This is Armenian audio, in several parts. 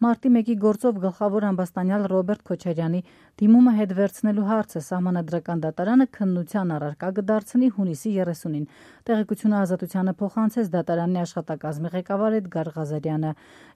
Մարտի 1-ի գործով գլխավոր ամբաստանյալ Ռոբերտ Քոչարյանի դիմումը հետ վերցնելու հարցը Սահմանադրական դատարանը քննության առարկա կդարձնի հունիսի 30-ին։ Տեղեկությունը Ազատությանը փոխանցեց դատարանի աշխատակազմի ղեկավար Էդգար Ղազարյանը։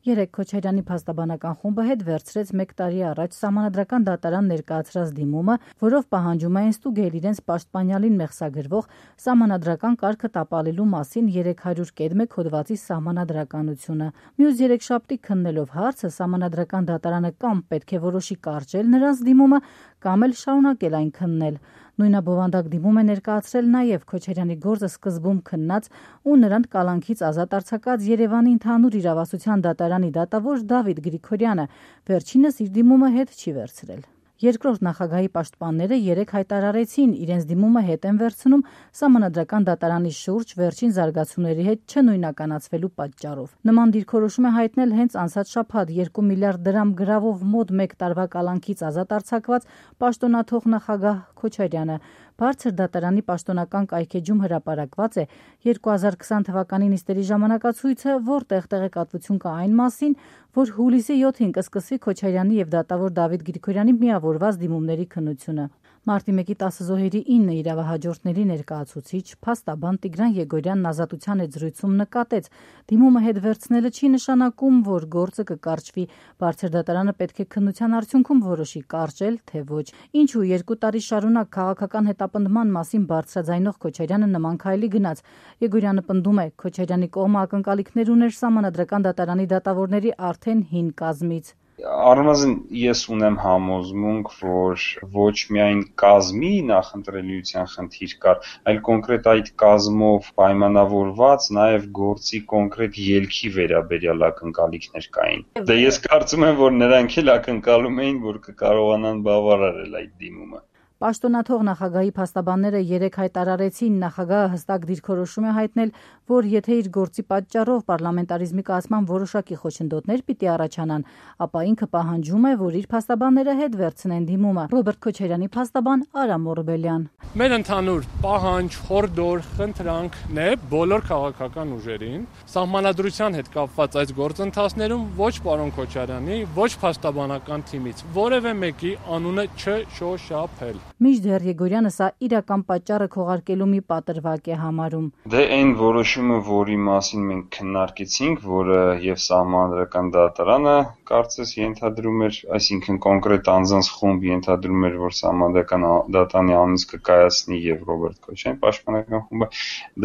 Երեկ Քոչարյանի փաստաբանական խումբը հետ վերցրեց 1 տարի առաջ Սահմանադրական դատարան ներկայացրած դիմումը, որով պահանջում էին ստուգել իրենց պաշտպանյալին մեղսագրվող սահմանադրական կարգը տապալելու մասին 301 հոդվածի սահմանադրականությունը։ Մյուս երեքշաբթի քննելով հարցը Սահմանադրական դատարանը կամ պետք է որոշի կարճել նրանց դիմումը, կամ էլ շարունակել այն քննել։ Նույնաբովանդակ դիմում է ներկայացրել նաև Քոչարյանի գործը սկզբում քննած ու նրան կալանքից ազատ արձակած Երևանի ընդհանուր իրավասության դատարանի դատավոր Դավիթ Գրիգորյանը, վերջինս իր դիմումը հետ չի վերցրել։ Երկրորդ նախագահի պաշտպանները երեկ հայտարարեցին իրենց դիմումը հետ են վերցնում Սահմանադրական դատարանի շուրջ վերջին զարգացումների հետ չնույնականացվելու պատճառով։ Նման դիրքորոշում է հայտնել հենց անցած շաբաթ 2 միլիարդ դրամ գրավով մոտ 1 տարվա կալանքից ազատ արձակված պաշտոնաթող նախագահ Քոչարյանը։ Բարձր դատարանի պաշտոնական կայքեջում հրապարակված է 2020 թվականի նիստերի ժամանակացույցը, որտեղ տեղեկատվություն կա այն մասին, որ հուլիսի 7-ին կսկսվի Քոչարյանի եւ դատավոր Դավիթ Գրիգորյանի միավորված դիմումների քննությունը։ Մարտի 1-ի 10 զոհերի 9 իրավահաջորդների ներկայացուցիչ փաստաբան Տիգրան Եգորյանն Ազատության հետ զրույցում նկատեց. դիմումը հետ վերցնելը չի նշանակում, որ գործը կկարճվի։ Բարձր դատարանը պետք է քննության արդյունքում որոշի կարճել, թե ոչ։ Ինչու 2 տարի շարունակ քաղաքական հետապնդման մասին բարձրաձայնող Քոչարյանը նման քայլի գնաց։ Եգորյանը պնդում է, Քոչարյանի կողմը ակնկալիքներ ուներ Սահմանադրական դատարանի դատավորների արդեն հին կազմից։ Առնվազն ես ունեմ համոզմունք, որ ոչ միայն կազմի նախընտրելիության խնդիր կար, այլ կոնկրետ այդ կազմով պայմանավորված նաև գործի կոնկրետ ելքի վերաբերյալ ակնկալիքներ կային։ Դե ես կարծում եմ, որ նրանք էլ ակնկալում էին, որ կկարողանան բավարարել այդ դիմումը։ Պաշտոնաթող նախագահի փաստաբանները երեկ հայտարարեցին, նախագահը հստակ դիրքորոշում է հայտնել, որ եթե իր գործի պատճառով պարլամենտարիզմի կայացման որոշակի խոչընդոտներ պիտի առաջանան, ապա ինքը պահանջում է, որ իր փաստաբանները հետ վերցնեն դիմումը։ Ռոբերտ Քոչարյանի փաստաբան Արամ Օրբելյան։ Մեր ընդհանուր պահանջ, խորհուրդ, խնդրանքն է բոլոր քաղաքական ուժերին Սահմանադրության հետ կապված այս գործընթացներում ոչ պարոն Քոչարյանի, ոչ փաստաբանական թիմից որևէ մեկի անունը չշոշափել։ Մինչդեռ Եգորյանը սա իրական պատճառը քողարկելու մի պատրվակ է համարում։ Դե այն որոշումը, որի մասին մենք քննարկեցինք, որը եւ Սահմանադրական դատարանը կարծես ենթադրում էր, այսինքն կոնկրետ անձանց խումբ ենթադրում էր, որ Սահմանադրական դատարանի անունից կկայացնի եւ Ռոբերտ Քոչարյանի պաշտպանական խումբը,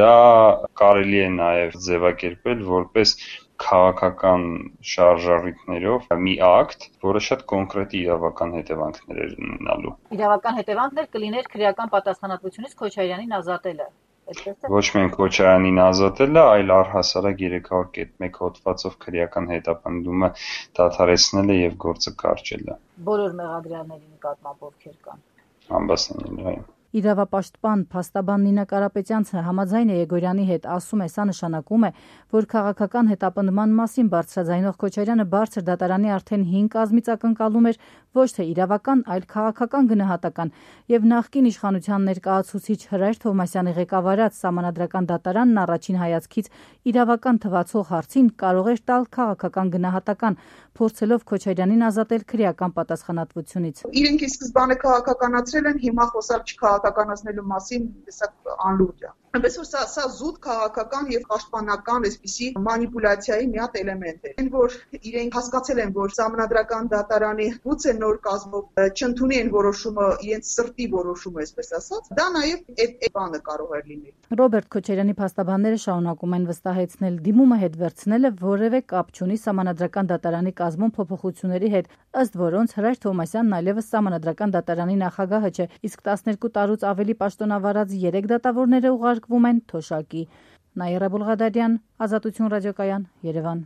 դա կարելի է նաեւ ձևակերպել որպես քաղաքական շարժառիթներով մի ակտ, որը շատ կոնկրետ իրավական հետևանքներ էր ունենալու։ Իրավական հետևանքներ կլիներ քրեական պատասխանատվությունից Քոչարյանին ազատելը։ Ոչ միայն Քոչարյանին ազատելը, այլ առհասարակ 301 հոդվածով քրեական հետապնդումը դադարեցնելը եւ գործը կարճելը։ Բոլոր մեղադրյալների նկատմամբ ովքեր կան։ Ամբաստանյալը։ Իրավապաշտպան փաստաբան Նինա Կարապետյանցը համաձայն է Եգորյանի հետ, ասում է, սա նշանակում է, որ քաղաքական հետապնդման մասին բարձրաձայնող Քոչարյանը բարձր դատարանի արդեն 5 կազմից ակնկալում էր ոչ թե իրավական, այլ քաղաքական գնահատական, եւ նախկին իշխանության ներկայացուցիչ Հրայր Թովմասյանի ղեկավարած Սահմանադրական դատարանն առաջին հայացքից իրավական թվացող հարցին կարող էր տալ քաղաքական գնահատական, փորձելով Քոչարյանին ազատել քրեական պատասխանատվությունից։ Իրենք ի սկզբանե քաղաքականացրել են, հիմա խոսալ չքաղաքականացնելու մասին հեսա անլուրջ է։ Այնպես որ սա զուտ քաղաքական եւ պաշտպանական այսպիսի մանիպուլյացիայի մի հատ էլեմենտ է։ Այն որ իրենք հասկացել են, որ Սահմանադրական դատարանի գուցե նոր կազմով չընդունեն որոշումը, իրենց սրտի որոշումը, այսպես ասած, դա նաեւ այդ բանը կարող է լինել։ Ռոբերտ Քոչարյանի փաստաբանները շարունակում են վստահեցնել, դիմումը հետ վերցնելը որևէ կապ չունի Սահմանադրական դատարանի կազմում փոփոխությունների հետ, ըստ որոնց Հրայր Թովմասյանն այլևս Սահմանադրական դատարանի նախագահը չէ, իսկ 12 տարուց ավելի պաշտոնավարած 3 դատավորները ուղարկվում են թոշակի։ Նաիրա Բուլղադարյան, Ազատություն ռադիոկայան, Երևան։